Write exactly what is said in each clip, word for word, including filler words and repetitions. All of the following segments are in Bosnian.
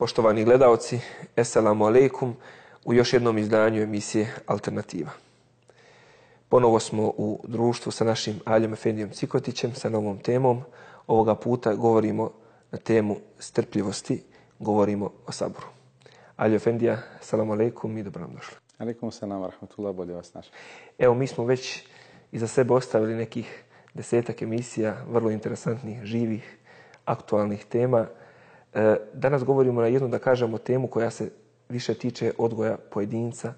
Poštovani gledaoci, Esselamu alaikum u još jednom izdanju emisije Alternativa. Ponovo smo u društvu sa našim Aljom Efendijom Cikotićem sa novom temom. Ovoga puta govorimo na temu strpljivosti, govorimo o saburu. Aljo Efendija, Esselamu alaikum i dobro nam došli. Alaikum salam wa rahmatullah, bolje vas našli. Evo, mi smo već iza sebe ostavili nekih desetak emisija, vrlo interesantnih, živih, aktualnih tema. Danas govorimo na jednu, da kažemo, temu koja se više tiče odgoja pojedinca,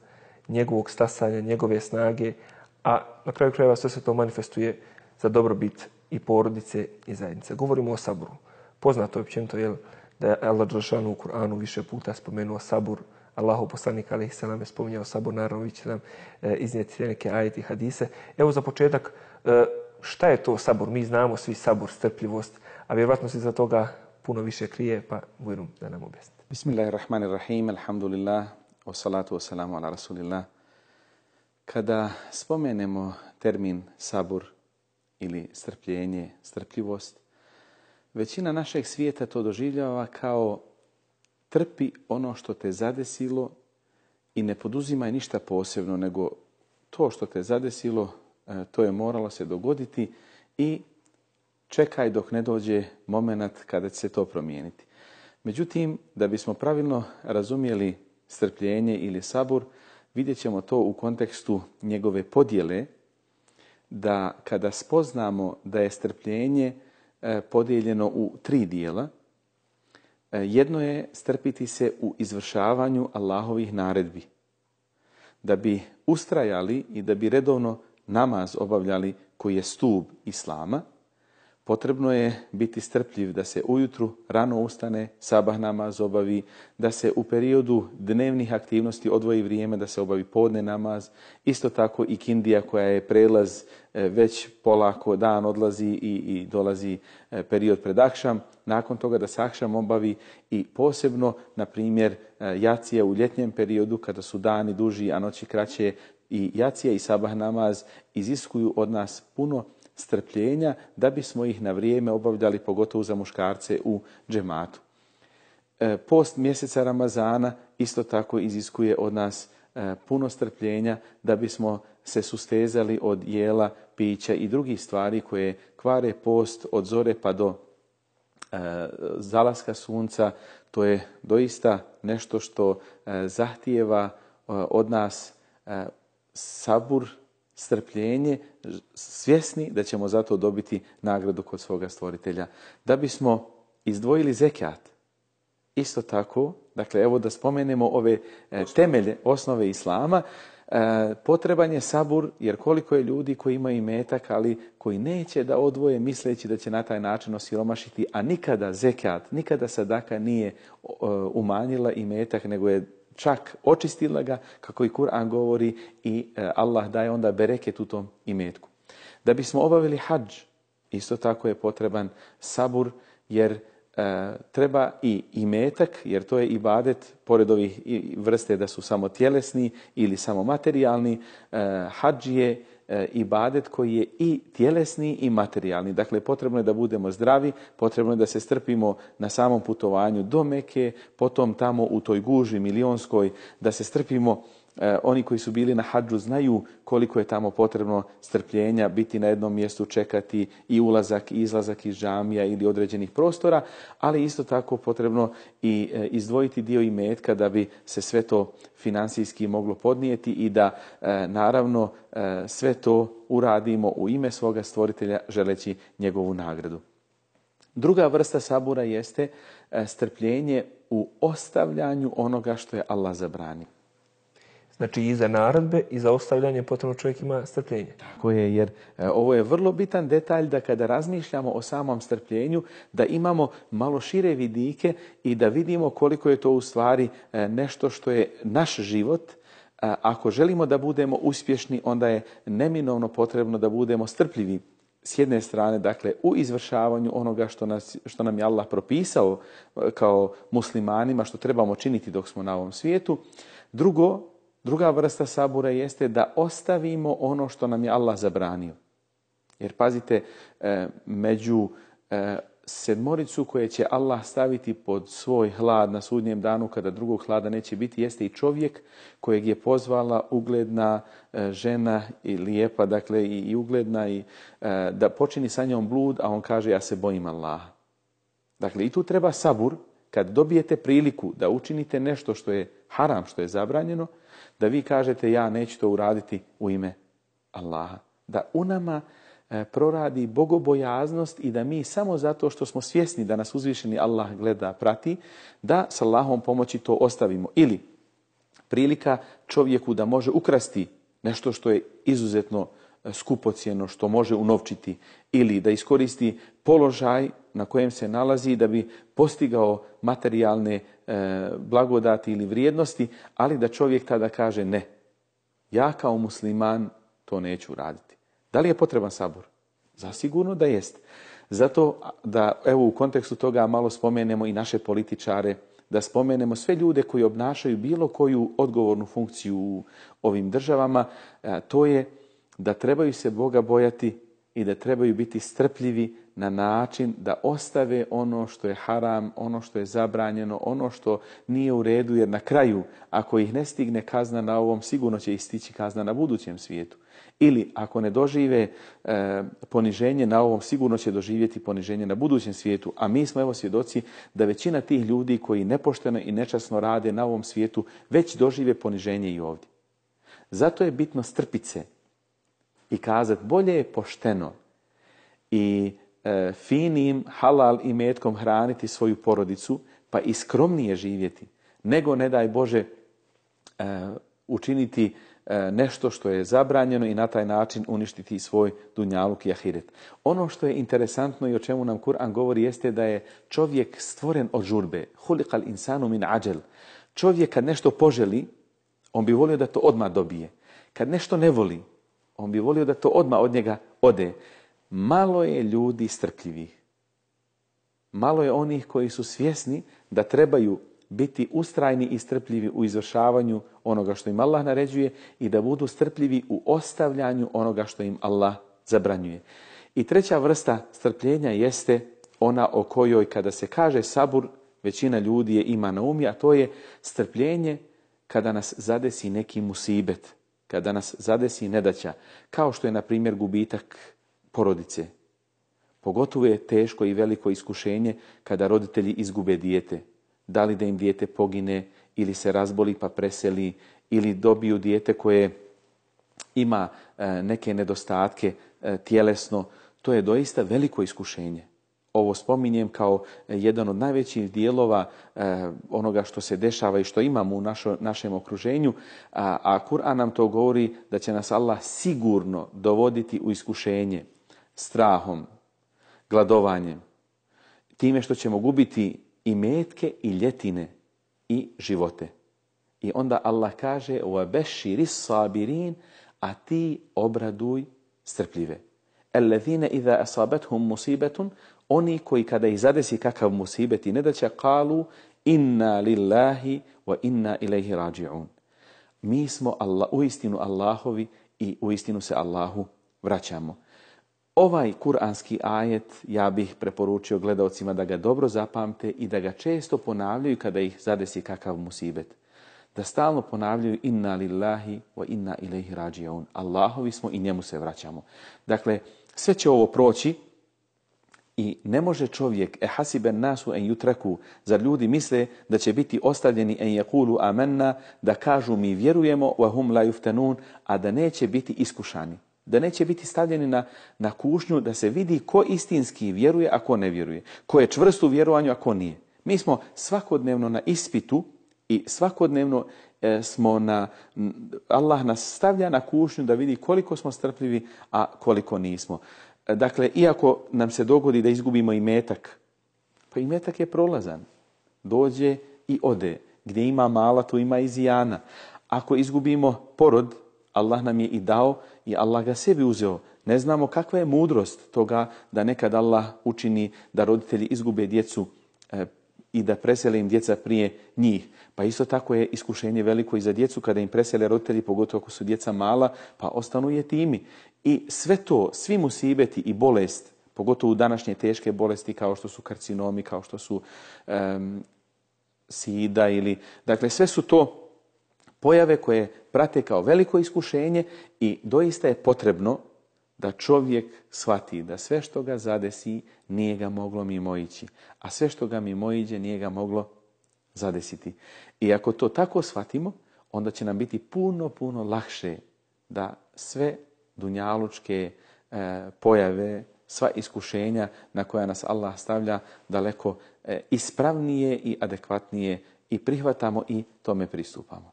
njegovog stasanja, njegove snage, a na kraju krajeva sve se to manifestuje za dobrobit i porodice i zajednice. Govorimo o saburu. Poznato je općenito jel, da je Allah dželešanu u Kur'anu više puta spomenuo sabur. Allahov poslanik alejhi selam je spominjao sabur, naravno vi ćete nam e, iznijeti neke ajete i hadise. Evo za početak, e, šta je to sabur? Mi znamo svi sabur, strpljivost, a vjerovatno se za toga puno više krije, pa bujrum da nam objasnite. Bismillahirrahmanirrahim, alhamdulillah, wa salatu wa salamu ala rasulillah. Kada spomenemo termin sabur ili strpljenje, strpljivost, većina našeg svijeta to doživljava kao trpi ono što te zadesilo i ne poduzimaj ništa posebno, nego to što te zadesilo, to je moralo se dogoditi i čekaj dok ne dođe moment kada će se to promijeniti. Međutim, da bismo pravilno razumjeli strpljenje ili sabur, vidjet ćemo to u kontekstu njegove podjele, da kada spoznamo da je strpljenje podijeljeno u tri dijela, jedno je strpiti se u izvršavanju Allahovih naredbi. Da bi ustrajali i da bi redovno namaz obavljali koji je stup Islama, potrebno je biti strpljiv da se ujutru rano ustane, sabah namaz obavi, da se u periodu dnevnih aktivnosti odvoji vrijeme da se obavi podne namaz, isto tako i kindija koja je prelaz, već polako dan odlazi i, i dolazi period pred akšam, nakon toga da se akšam obavi i posebno, na primjer, jacija u ljetnjem periodu kada su dani duži, a noći kraće, i jacija i sabah namaz iziskuju od nas puno strpljenja da bismo ih na vrijeme obavljali, pogotovo za muškarce u džematu. Post mjeseca Ramazana isto tako iziskuje od nas puno strpljenja da bismo se sustezali od jela, pića i drugih stvari koje kvare post od zore pa do zalaska sunca. To je doista nešto što zahtijeva od nas sabur, strpljenje, svjesni da ćemo zato dobiti nagradu kod svoga stvoritelja. Da bismo izdvojili zekat, isto tako, dakle evo da spomenemo ove temelje, osnove Islama, potreban je sabur, jer koliko je ljudi koji imaju imetak, ali koji neće da odvoje misleći da će na taj način osiromašiti, a nikada zekat, nikada sadaka nije umanjila imetak, nego je čak očistila ga, kako i Kur'an govori, i Allah daje onda bereket u tom imetku. Da bismo obavili hadž, isto tako je potreban sabur, jer e, treba i imetak, jer to je ibadet, pored ovih vrste da su samo tjelesni ili samo materijalni, e, hadž je ibadet koji je i tjelesni i materijalni. Dakle, potrebno je da budemo zdravi, potrebno je da se strpimo na samom putovanju do Meke, potom tamo u toj guži milionskoj, da se strpimo. E, oni koji su bili na hadžu znaju koliko je tamo potrebno strpljenja, biti na jednom mjestu, čekati i ulazak i izlazak iz džamija ili određenih prostora, ali isto tako potrebno i e, izdvojiti dio imetka da bi se sve to financijski moglo podnijeti i da e, naravno e, sve to uradimo u ime svoga stvoritelja želeći njegovu nagradu. Druga vrsta sabura jeste e, strpljenje u ostavljanju onoga što je Allah zabranio. Znači i za naredbe i za ostavljanje potrebno čovjek ima strpljenje. Tako je, jer e, ovo je vrlo bitan detalj da kada razmišljamo o samom strpljenju, da imamo malo šire vidike i da vidimo koliko je to u stvari e, nešto što je naš život. E, ako želimo da budemo uspješni, onda je neminovno potrebno da budemo strpljivi. S jedne strane, dakle, u izvršavanju onoga što, nas, što nam je Allah propisao kao muslimanima, što trebamo činiti dok smo na ovom svijetu. Drugo, Druga vrsta sabura jeste da ostavimo ono što nam je Allah zabranio. Jer pazite, među sedmoricu koje će Allah staviti pod svoj hlad na sudnjem danu kada drugog hlada neće biti, jeste i čovjek kojeg je pozvala ugledna žena i lijepa, dakle i, i ugledna i da počini sa njom blud, a on kaže ja se bojim Allaha. Dakle i tu treba sabur kad dobijete priliku da učinite nešto što je haram, što je zabranjeno, da vi kažete ja neću to uraditi u ime Allaha. Da u nama proradi bogobojaznost i da mi samo zato što smo svjesni da nas uzvišeni Allah gleda, prati, da s Allahom pomoći to ostavimo. Ili prilika čovjeku da može ukrasti nešto što je izuzetno skupocjeno, što može unovčiti, ili da iskoristi položaj na kojem se nalazi da bi postigao materijalne e, blagodati ili vrijednosti, ali da čovjek tada kaže ne, ja kao musliman to neću raditi. Da li je potreban sabor? Zasigurno da jest. Zato da evo u kontekstu toga malo spomenemo i naše političare, da spomenemo sve ljude koji obnašaju bilo koju odgovornu funkciju u ovim državama, to je da trebaju se Boga bojati i da trebaju biti strpljivi na način da ostave ono što je haram, ono što je zabranjeno, ono što nije u redu, jer na kraju, ako ih ne stigne kazna na ovom, sigurno će ih stići kazna na budućem svijetu. Ili ako ne dožive e, poniženje na ovom, sigurno će doživjeti poniženje na budućem svijetu. A mi smo evo svjedoci da većina tih ljudi koji nepošteno i nečasno rade na ovom svijetu već dožive poniženje i ovdje. Zato je bitno strpit se i kazati bolje je pošteno i e, finim halal imetkom hraniti svoju porodicu pa i skromnije živjeti, nego ne daj Bože e, učiniti nešto što je zabranjeno i na taj način uništiti svoj dunjaluk i ahiret. Ono što je interesantno i o čemu nam Kur'an govori jeste da je čovjek stvoren od žurbe. Huliqal insanu min ađel. Čovjek kad nešto poželi, on bi volio da to odmah dobije. Kad nešto ne voli, on bi volio da to odmah od njega ode. Malo je ljudi strpljivih. Malo je onih koji su svjesni da trebaju biti ustrajni i strpljivi u izvršavanju onoga što im Allah naređuje i da budu strpljivi u ostavljanju onoga što im Allah zabranjuje. I treća vrsta strpljenja jeste ona o kojoj kada se kaže sabur, većina ljudi je ima na umi, a to je strpljenje kada nas zadesi neki musibet, kada nas zadesi nedaća, kao što je na primjer gubitak porodice. Pogotovo je teško i veliko iskušenje kada roditelji izgube dijete. Da li da im dijete pogine ili se razboli pa preseli ili dobiju dijete koje ima e, neke nedostatke e, tjelesno. To je doista veliko iskušenje. Ovo spominjem kao jedan od najvećih dijelova e, onoga što se dešava i što imamo u našo, našem okruženju, a, a Kur'an nam to govori da će nas Allah sigurno dovoditi u iskušenje strahom, gladovanjem, time što ćemo gubiti i metke i ljetine i živote. I onda Allah kaže وَبَشِّرِ الصَّابِرِينَ, a ti obraduj strpljive. الَّذِينَ إِذَا أَصَابَتْهُمْ مُصِيبَةٌ, oni koji kada ih zadesi kakav musibet i nedaća, قَالُوا إِنَّا لِلَّهِ وَإِنَّا إِلَيْهِ رَاجِعُونَ. Mi smo Allah, uistinu Allahovi i uistinu se Allahu vraćamo. Ovaj kuranski ajet ja bih preporučio gledaocima da ga dobro zapamte i da ga često ponavljaju kada ih zadesi kakav musibet. Da stalno ponavljaju inna lillahi wa inna ilaihi rađiun. Allahovi smo i njemu se vraćamo. Dakle, sve će ovo proći i ne može čovjek, e hasiben nasu en jutraku, zar ljudi misle da će biti ostavljeni en yakulu amanna, da kažu mi vjerujemo, wa hum la yuftanun, a da neće biti iskušani. Da neće biti stavljeni na, na kušnju da se vidi ko istinski vjeruje, a ko ne vjeruje. Ko je čvrst u vjerovanju, a ko nije. Mi smo svakodnevno na ispitu i svakodnevno e, smo na... Allah nas stavlja na kušnju da vidi koliko smo strpljivi, a koliko nismo. E, dakle, iako nam se dogodi da izgubimo imetak, pa imetak je prolazan. Dođe i ode. Gdje ima mala, tu ima i zijana. Ako izgubimo porod, Allah nam je i dao i Allah ga sebi uzeo. Ne znamo kakva je mudrost toga da nekad Allah učini da roditelji izgube djecu e, i da presele im djeca prije njih. Pa isto tako je iskušenje veliko i za djecu kada im presele roditelji, pogotovo ako su djeca mala, pa ostanu jetimi. I sve to, svi musibeti i bolest, pogotovo u današnje teške bolesti kao što su karcinomi, kao što su um, sida ili... Dakle, sve su to pojave koje prate kao veliko iskušenje i doista je potrebno da čovjek shvati da sve što ga zadesi nije ga moglo mimoići, a sve što ga mimoiđe nije ga moglo zadesiti. I ako to tako shvatimo, onda će nam biti puno, puno lakše da sve dunjalučke e, pojave, sva iskušenja na koja nas Allah stavlja daleko e, ispravnije i adekvatnije i prihvatamo i tome pristupamo.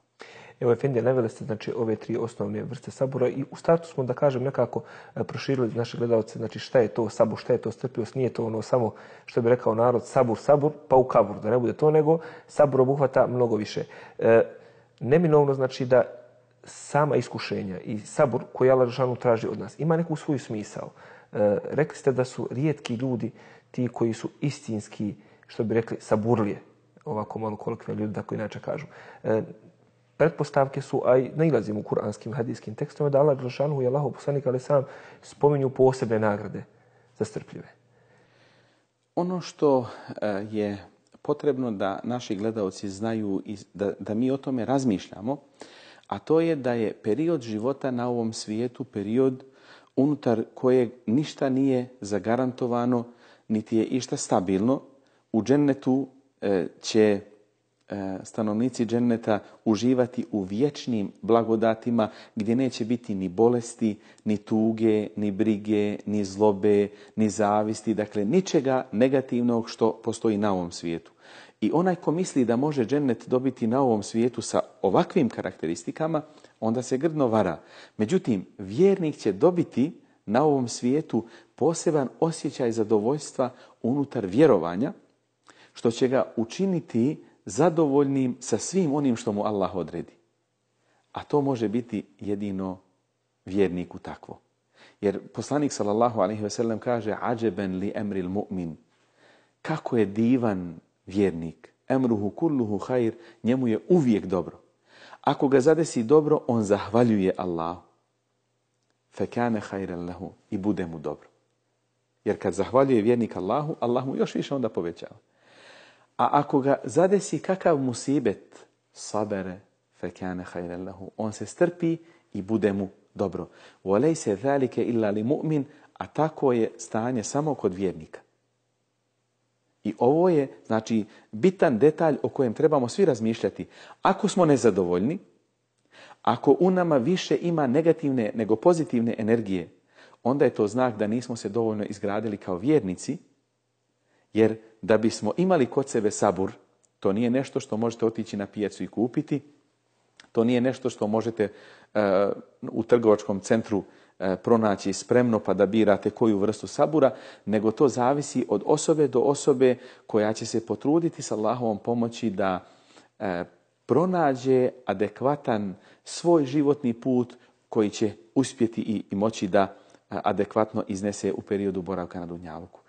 Evo, Efendija, naveli ste znači, ove tri osnovne vrste sabura i u startu smo, da kažem, nekako proširili naše gledalce, znači šta je to sabur, šta je to strpljivost, nije to ono samo, što bi rekao narod, sabur, sabur, pa u kabur, da ne bude to, nego sabur obuhvata mnogo više. E, neminovno znači da sama iskušenja i sabur koji Allah dželešanu traži od nas ima neku svoju smisao. E, rekli ste da su rijetki ljudi ti koji su istinski, što bi rekli, saburlije, ovako malo kolokvijalno ljudi tako inače kažu. E, pretpostavke su, a i nailazimo u kuranskim hadijskim tekstovima, da Allah dželešanu i Allahov poslanik alejhi selam spominju posebne nagrade za strpljive. Ono što je potrebno da naši gledaoci znaju i da, da mi o tome razmišljamo, a to je da je period života na ovom svijetu period unutar kojeg ništa nije zagarantovano, niti je išta stabilno. U džennetu e, će e, stanovnici dženneta uživati u vječnim blagodatima gdje neće biti ni bolesti, ni tuge, ni brige, ni zlobe, ni zavisti, dakle ničega negativnog što postoji na ovom svijetu. I onaj ko misli da može džennet dobiti na ovom svijetu sa ovakvim karakteristikama, onda se grdno vara. Međutim, vjernik će dobiti na ovom svijetu poseban osjećaj zadovoljstva unutar vjerovanja, što će ga učiniti zadovoljnim sa svim onim što mu Allah odredi. A to može biti jedino vjerniku takvo. Jer poslanik sallallahu alejhi ve sellem kaže: "Ađeben li emril mu'min." Kako je divan vjernik. Emruhu kulluhu hajr, njemu je uvijek dobro. Ako ga zadesi dobro, on zahvaljuje Allahu. Fekane hajran lehu, i bude mu dobro. Jer kad zahvaljuje vjernik Allahu, Allah mu još više onda povećava. A ako ga zadesi kakav musibet, sabere, fekane hajran lehu, on se strpi i bude mu dobro. Volejse zalike illa li mu'min, a tako je stanje samo kod vjernika. I ovo je, znači, bitan detalj o kojem trebamo svi razmišljati. Ako smo nezadovoljni, ako u nama više ima negativne nego pozitivne energije, onda je to znak da nismo se dovoljno izgradili kao vjernici, jer da bismo imali kod sebe sabur, to nije nešto što možete otići na pijacu i kupiti, to nije nešto što možete uh, u trgovačkom centru uh, pronaći spremno pa da birate koju vrstu sabura, nego to zavisi od osobe do osobe koja će se potruditi sa Allahovom pomoći da uh, pronađe adekvatan svoj životni put koji će uspjeti i, i moći da uh, adekvatno iznese u periodu boravka na dunjaluku.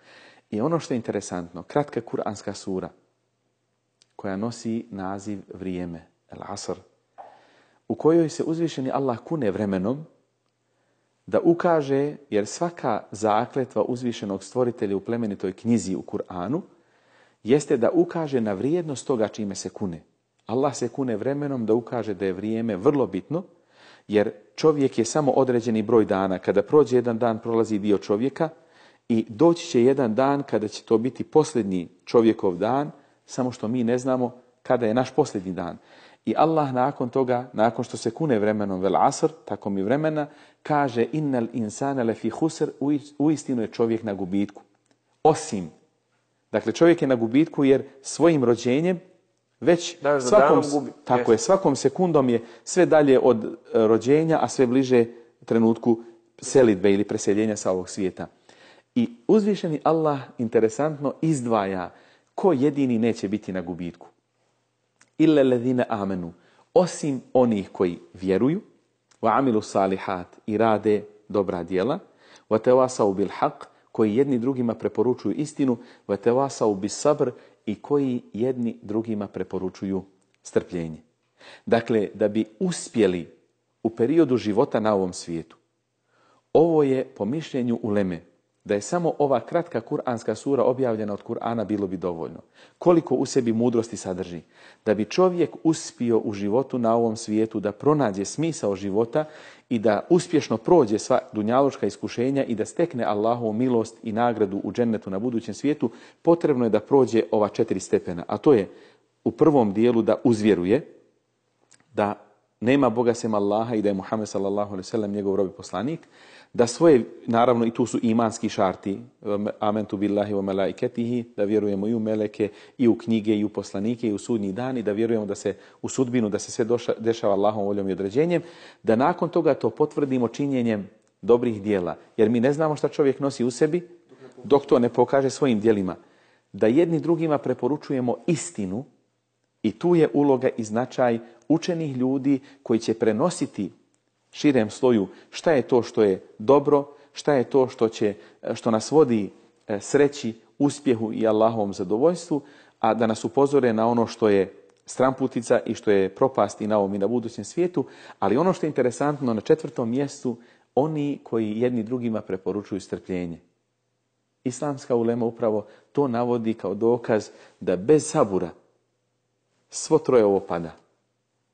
I ono što je interesantno, kratka kuranska sura koja nosi naziv vrijeme, El Asr, u kojoj se uzvišeni Allah kune vremenom da ukaže, jer svaka zakletva uzvišenog stvoritelja u plemenitoj knjizi u Kur'anu jeste da ukaže na vrijednost toga čime se kune. Allah se kune vremenom da ukaže da je vrijeme vrlo bitno, jer čovjek je samo određeni broj dana. Kada prođe jedan dan, prolazi dio čovjeka i doći će jedan dan kada će to biti posljednji čovjekov dan, samo što mi ne znamo kada je naš posljednji dan. I Allah nakon toga, nakon što se kune vremenom vel asr, tako mi vremena, kaže innal insana lefi husr, uistinu je čovjek na gubitku. Osim, dakle čovjek je na gubitku jer svojim rođenjem već da, svakom, gubi. tako je, svakom sekundom je sve dalje od rođenja, a sve bliže trenutku selidbe ili preseljenja sa ovog svijeta. I uzvišeni Allah interesantno izdvaja ko jedini neće biti na gubitku. Illa ledine amenu, osim onih koji vjeruju, wa amilu salihat, i rade dobra djela, wa tawasau bil haq, koji jedni drugima preporučuju istinu, wa tawasau bis sabr, i koji jedni drugima preporučuju strpljenje. Dakle, da bi uspjeli u periodu života na ovom svijetu, ovo je po mišljenju uleme Da je samo ova kratka kuranska sura objavljena od Kur'ana bilo bi dovoljno. Koliko u sebi mudrosti sadrži. Da bi čovjek uspio u životu na ovom svijetu da pronađe smisao života i da uspješno prođe sva dunjalučka iskušenja i da stekne Allahovu milost i nagradu u džennetu na budućem svijetu, potrebno je da prođe ova četiri stepena. A to je u prvom dijelu da uzvjeruje, da nema Boga sem Allaha i da je Muhammed sallallahu alejhi ve sellem njegov rob i poslanik, da svoje, naravno i tu su imanski šarti, amentu billahi wa malaiketihi, da vjerujemo i u meleke, i u knjige, i u poslanike, i u sudnji dan, i da vjerujemo da se u sudbinu, da se sve doša, dešava Allahom voljom i određenjem, da nakon toga to potvrdimo činjenjem dobrih dijela. Jer mi ne znamo šta čovjek nosi u sebi, dok to ne pokaže svojim djelima. Da jedni drugima preporučujemo istinu, i tu je uloga i značaj učenih ljudi koji će prenositi širem sloju šta je to što je dobro, šta je to što, će, što nas vodi sreći, uspjehu i Allahovom zadovoljstvu, a da nas upozore na ono što je stramputica i što je propast i na ovom i na budućem svijetu. Ali ono što je interesantno, na četvrtom mjestu, oni koji jedni drugima preporučuju strpljenje. Islamska ulema upravo to navodi kao dokaz da bez sabura svo troje ovo pada.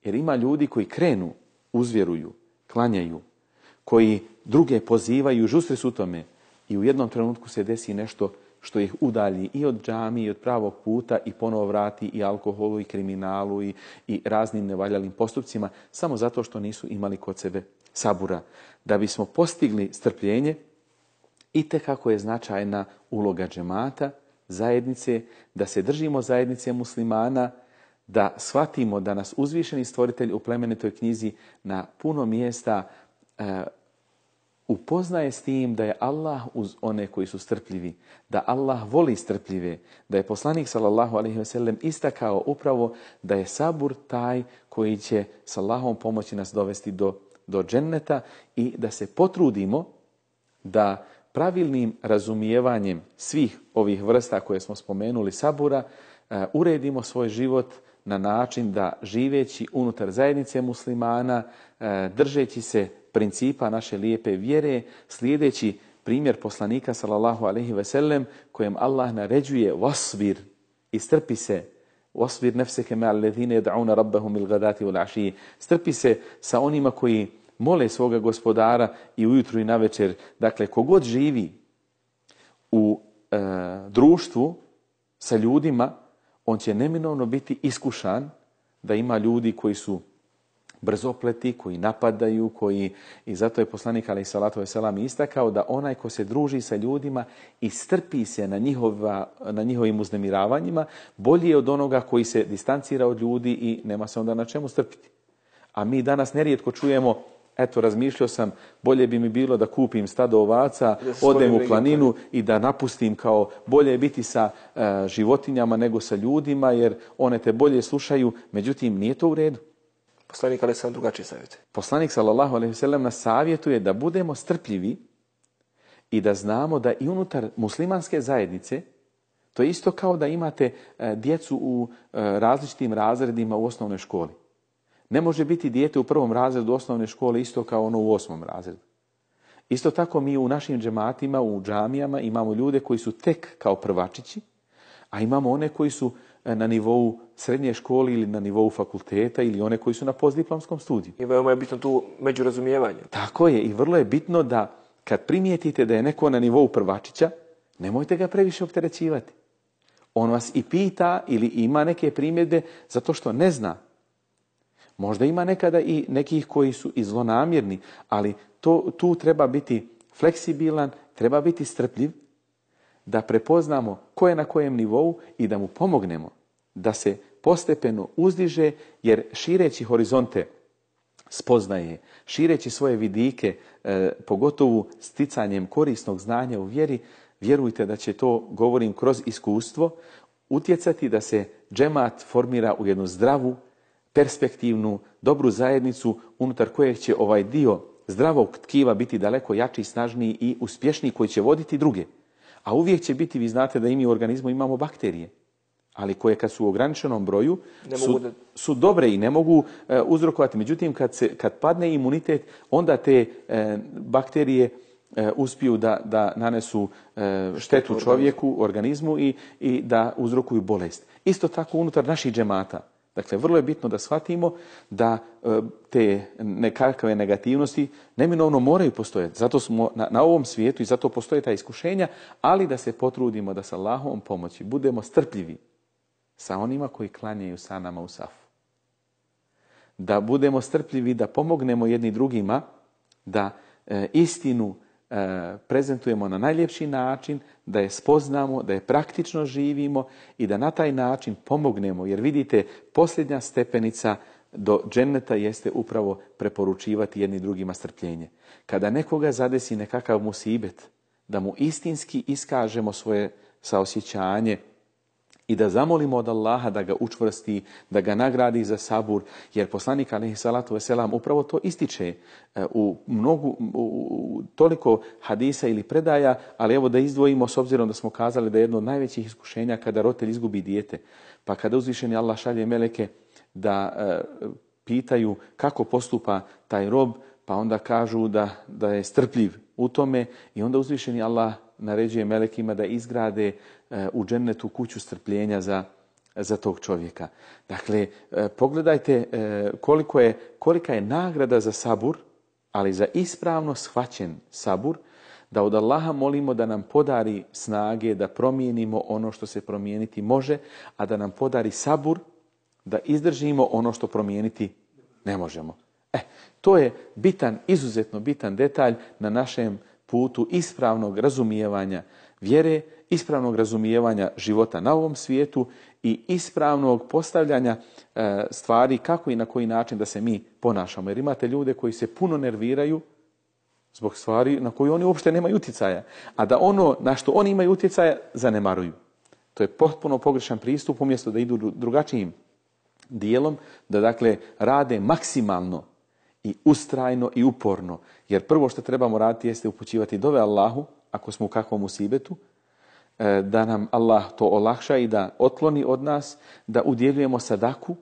Jer ima ljudi koji krenu, uzvjeruju, klanjaju, koji druge pozivaju, žustri su u tome i u jednom trenutku se desi nešto što ih udalji i od džamije, i od pravog puta i ponovo vrati i alkoholu i kriminalu i, i raznim nevaljalim postupcima, samo zato što nisu imali kod sebe sabura. Da bismo postigli strpljenje, itekako je značajna uloga džemata, zajednice, da se držimo zajednice muslimana, da shvatimo da nas uzvišeni stvoritelj u plemenitoj knjizi na puno mjesta e, upoznaje s tim da je Allah uz one koji su strpljivi, da Allah voli strpljive, da je poslanik sallallahu alejhi ve sellem istakao upravo da je sabur taj koji će s Allahom pomoći nas dovesti do, do dženneta i da se potrudimo da pravilnim razumijevanjem svih ovih vrsta koje smo spomenuli sabura e, uredimo svoj život na način da živeći unutar zajednice muslimana, držeći se principa naše lijepe vjere, slijedeći primjer poslanika sallallahu alejhi ve sellem kojem Allah naređuje wasbir, i strpi se, wasbir nefseke ma'al ladhina yad'una rabbahum bil ghadati wal ashi, strpi se sa onima koji mole svoga gospodara i ujutro i navečer. Dakle, kogod živi u e, društvu sa ljudima, on će neminovno biti iskušan da ima ljudi koji su brzopleti, koji napadaju, koji, i zato je poslanik alejhi salatu vesselam istakao da onaj ko se druži sa ljudima i strpi se na, njihova, na njihovim uznemiravanjima, bolji je od onoga koji se distancira od ljudi i nema se onda na čemu strpiti. A mi danas nerijetko čujemo, eto, razmišljao sam, bolje bi mi bilo da kupim stado ovaca, odem u planinu i da napustim, kao bolje je biti sa uh, životinjama nego sa ljudima, jer one te bolje slušaju. Međutim, nije to u redu. Poslanik alejhi sallam drugačije savjetuje. Poslanik sallallahu alejhi ve sellem nas savjetuje da budemo strpljivi i da znamo da i unutar muslimanske zajednice, to je isto kao da imate uh, djecu u uh, različitim razredima u osnovnoj školi. Ne može biti dijete u prvom razredu osnovne škole isto kao ono u osmom razredu. Isto tako mi u našim džematima, u džamijama imamo ljude koji su tek kao prvačići, a imamo one koji su na nivou srednje škole ili na nivou fakulteta ili one koji su na postdiplomskom studiju. I veoma je bitno tu međurazumijevanje. Tako je, i vrlo je bitno da kad primijetite da je neko na nivou prvačića, nemojte ga previše opterećivati. On vas i pita ili ima neke primjedbe zato što ne zna. Možda ima nekada i nekih koji su i zlonamjerni, ali to, tu treba biti fleksibilan, treba biti strpljiv, da prepoznamo ko je na kojem nivou i da mu pomognemo da se postepeno uzdiže, jer šireći horizonte spoznaje, šireći svoje vidike, eh, pogotovo sticanjem korisnog znanja u vjeri, vjerujte da će to, govorim kroz iskustvo, utjecati da se džemat formira u jednu zdravu, perspektivnu, dobru zajednicu unutar kojeg će ovaj dio zdravog tkiva biti daleko jači, snažniji i uspješniji, koji će voditi druge. A uvijek će biti, vi znate da i mi u organizmu imamo bakterije, ali koje kad su u ograničenom broju su, da... su dobre i ne mogu e, uzrokovati. Međutim, kad, se, kad padne imunitet, onda te e, bakterije e, uspiju da, da nanesu e, štetu čovjeku, organizmu i, i da uzrokuju bolest. Isto tako unutar naših džemata. Dakle, vrlo je bitno da shvatimo da e, te nekakve negativnosti neminovno moraju postojati. Zato smo na, na ovom svijetu i zato postoje ta iskušenja, ali da se potrudimo da sa Allahovom pomoći budemo strpljivi sa onima koji klanjaju sa nama u safu. Da budemo strpljivi, da pomognemo jedni drugima, da e, istinu e, prezentujemo na najljepši način, da je spoznamo, da je praktično živimo i da na taj način pomognemo. Jer vidite, posljednja stepenica do dženneta jeste upravo preporučivati jedni drugima strpljenje. Kada nekoga zadesi nekakav musibet, da mu istinski iskažemo svoje saosjećanje i da zamolimo od Allaha da ga učvrsti, da ga nagradi za sabur, jer poslanik alejhi salatu vesselam upravo to ističe u mnogu u toliko hadisa ili predaja, ali evo da izdvojimo s obzirom da smo kazali da je jedno od najvećih iskušenja kada roditelj izgubi dijete, pa kada uzvišeni Allah šalje meleke da e, pitaju kako postupa taj rob, pa onda kažu da, da je strpljiv u tome i onda uzvišeni Allah naređuje melekima da izgrade e, u džennetu kuću strpljenja za, za tog čovjeka. Dakle, e, pogledajte e, koliko je, kolika je nagrada za sabur, ali za ispravno shvaćen sabur, da od Allaha molimo da nam podari snage, da promijenimo ono što se promijeniti može, a da nam podari sabur, da izdržimo ono što promijeniti ne možemo. E, to je bitan, izuzetno bitan detalj na našem putu ispravnog razumijevanja vjere, ispravnog razumijevanja života na ovom svijetu i ispravnog postavljanja e, stvari kako i na koji način da se mi ponašamo. Jer imate ljude koji se puno nerviraju zbog stvari na koje oni uopšte nemaju utjecaja, a da ono na što oni imaju utjecaja zanemaruju. To je potpuno pogrešan pristup, umjesto da idu drugačijim dijelom, da dakle rade maksimalno i ustrajno i uporno. Jer prvo što trebamo raditi jeste upućivati dove Allahu, ako smo u kakvom musibetu, da nam Allah to olakša i da otkloni od nas, da udjeljujemo sadaku,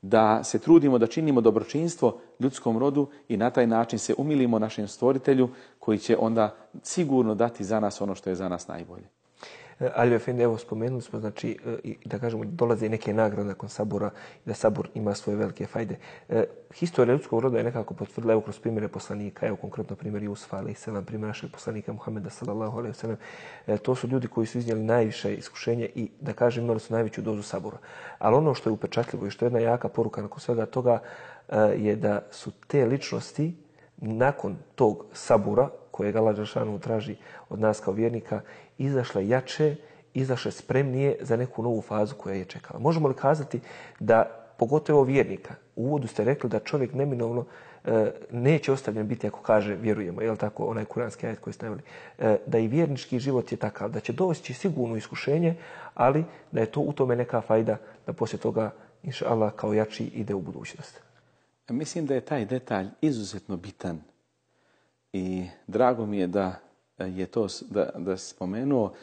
da se trudimo da činimo dobročinstvo ljudskom rodu i na taj način se umilimo našem stvoritelju koji će onda sigurno dati za nas ono što je za nas najbolje. Ali Efendi, evo spomenuli smo, znači, da kažemo, dolaze i neke nagrade nakon sabura i da sabur ima svoje velike fajde. E, historija ljudskog roda je nekako potvrdila, evo kroz primjere poslanika, evo konkretno primjer Jusufa, alejhi selam, primjer našeg poslanika Muhameda sallallahu alejhi ve sellem. E, to su ljudi koji su iznijeli najviše iskušenje i, da kažem, imali su najveću dozu sabura. Ali ono što je upečatljivo i što je jedna jaka poruka nakon svega toga e, je da su te ličnosti nakon tog sabura kojeg Allah dželešanu traži od nas kao vjernika, izašle jače, izašle spremnije za neku novu fazu koja je čekala. Možemo li kazati da, pogotovo vjernika, u uvodu ste rekli da čovjek neminovno e, neće ostavljen biti ako kaže vjerujemo, je li tako, onaj kuranski ajet koji ste naveli, e, da i vjernički život je takav, da će doći sigurno iskušenje, ali da je to u tome neka fajda da poslije toga, inša Allah, kao jači ide u budućnost. Mislim da je taj detalj izuzetno bitan i drago mi je da je to da, da spomenuo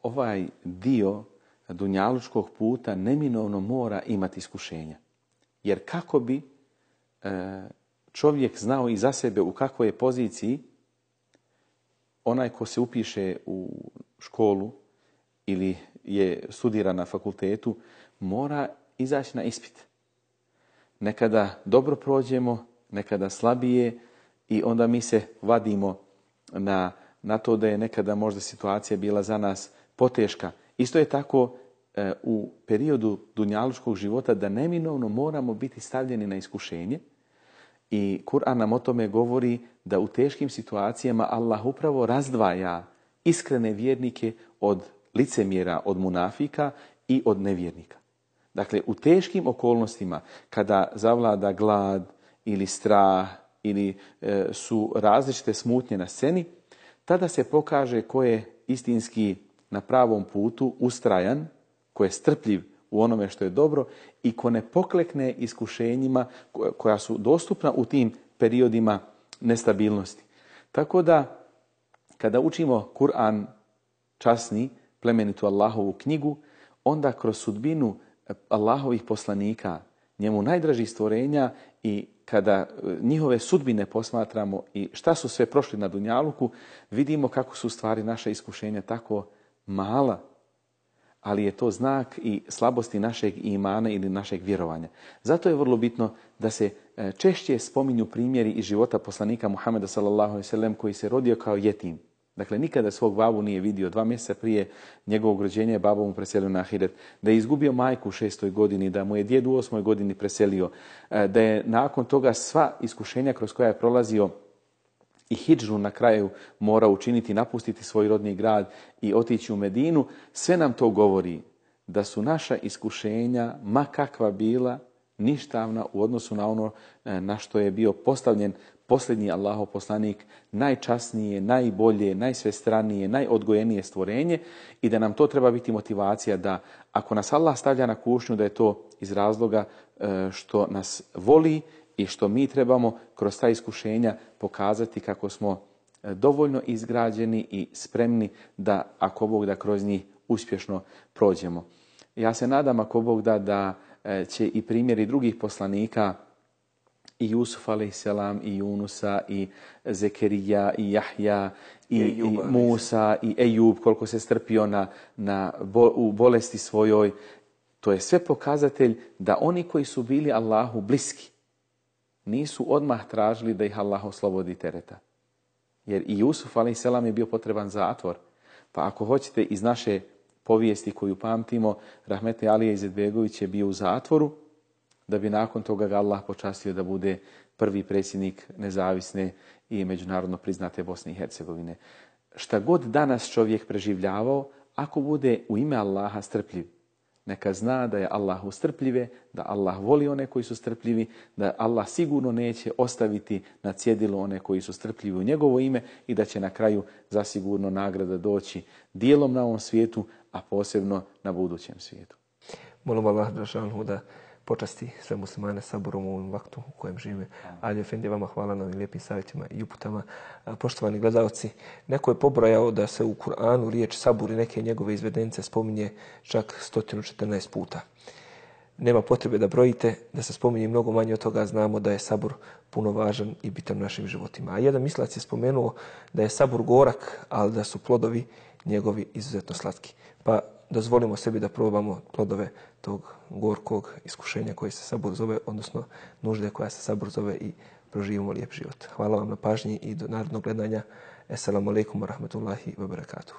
ovaj dio dunjalučkog puta neminovno mora imati iskušenja. Jer kako bi čovjek znao i za sebe u kakvoj je poziciji, onaj ko se upiše u školu ili je studira na fakultetu, mora izaći na ispit. Nekada dobro prođemo, nekada slabije i onda mi se vadimo na, na to da je nekada možda situacija bila za nas poteška. Isto je tako e, u periodu dunjaluškog života da neminovno moramo biti stavljeni na iskušenje i Kur'an nam o tome govori da u teškim situacijama Allah upravo razdvaja iskrene vjernike od licemjera, od munafika i od nevjernika. Dakle, u teškim okolnostima, kada zavlada glad ili strah ili e, su različite smutnje na sceni, tada se pokaže ko je istinski na pravom putu, ustrajan, ko je strpljiv u onome što je dobro i ko ne poklekne iskušenjima koja su dostupna u tim periodima nestabilnosti. Tako da, kada učimo Kur'an časni, plemenitu Allahovu knjigu, onda kroz sudbinu Allahovih poslanika njemu najdražih stvorenja i kada njihove sudbine posmatramo i šta su sve prošli na dunjaluku, vidimo kako su stvari naša iskušenja tako mala, ali je to znak i slabosti našeg imana ili našeg vjerovanja. Zato je vrlo bitno da se češće spominju primjeri iz života poslanika Muhameda sallallahu alejhi ve sellem koji se rodio kao jetim. Dakle, nikada svog babu nije vidio. Dva mjeseca prije njegovog rođenja je babo mu preselio na ahiret. Da je izgubio majku u šestoj godini, da mu je djed u osmoj godini preselio, da je nakon toga sva iskušenja kroz koja je prolazio i hidžru na kraju mora učiniti, napustiti svoj rodni grad i otići u Medinu, sve nam to govori da su naša iskušenja, ma kakva bila, ništavna u odnosu na ono na što je bio postavljen posljednji Allahov poslanik, najčasnije, najbolje, najsvestranije, najodgojenije stvorenje i da nam to treba biti motivacija da ako nas Allah stavlja na kušnju da je to iz razloga što nas voli i što mi trebamo kroz ta iskušenja pokazati kako smo dovoljno izgrađeni i spremni da ako Bog da kroz njih uspješno prođemo. Ja se nadam ako Bog da da će i primjeri drugih poslanika i Jusuf alejselam i Junusa i Zekerija i Jahja i, I, i Musa i Ejub koliko se strpio na, na bo, u bolesti svojoj. To je sve pokazatelj da oni koji su bili Allahu bliski nisu odmah tražili da ih Allah oslobodi tereta. Jer i Jusuf alejselam je bio potreban zatvor. Pa ako hoćete iz naše povijesti koju pamtimo, rahmetli Alija Izetbegović je bio u zatvoru da bi nakon toga ga Allah počastio da bude prvi predsjednik nezavisne i međunarodno priznate Bosne i Hercegovine. Šta god danas čovjek preživljavao, ako bude u ime Allaha strpljiv, neka zna da je Allah strpljive, da Allah voli one koji su strpljivi, da Allah sigurno neće ostaviti na cjedilu one koji su strpljivi u njegovo ime i da će na kraju zasigurno nagrada doći dijelom na ovom svijetu, a posebno na budućem svijetu. Molim Allah da počasti sve muslimane saburom u ovom vaktu u kojem žive. Ali Efendi, vama hvala na ovim lijepim savjetima i uputama. Poštovani gledalci, neko je pobrojao da se u Kur'anu riječ sabur i neke njegove izvedenice spominje čak sto četrnaest puta. Nema potrebe da brojite, da se spominje mnogo manje od toga, znamo da je sabur puno važan i bitan u našim životima. A jedan mislac je spomenuo da je sabur gorak, ali da su plodovi njegovi izuzetno slatki. Pa dozvolimo sebi da probamo plodove tog gorkog iskušenja koji se sabur zove, odnosno nužde koja se sabur zove i proživimo lijep život. Hvala vam na pažnji i do narednog gledanja. Assalamu alaikum wa rahmatullahi wa barakatuh.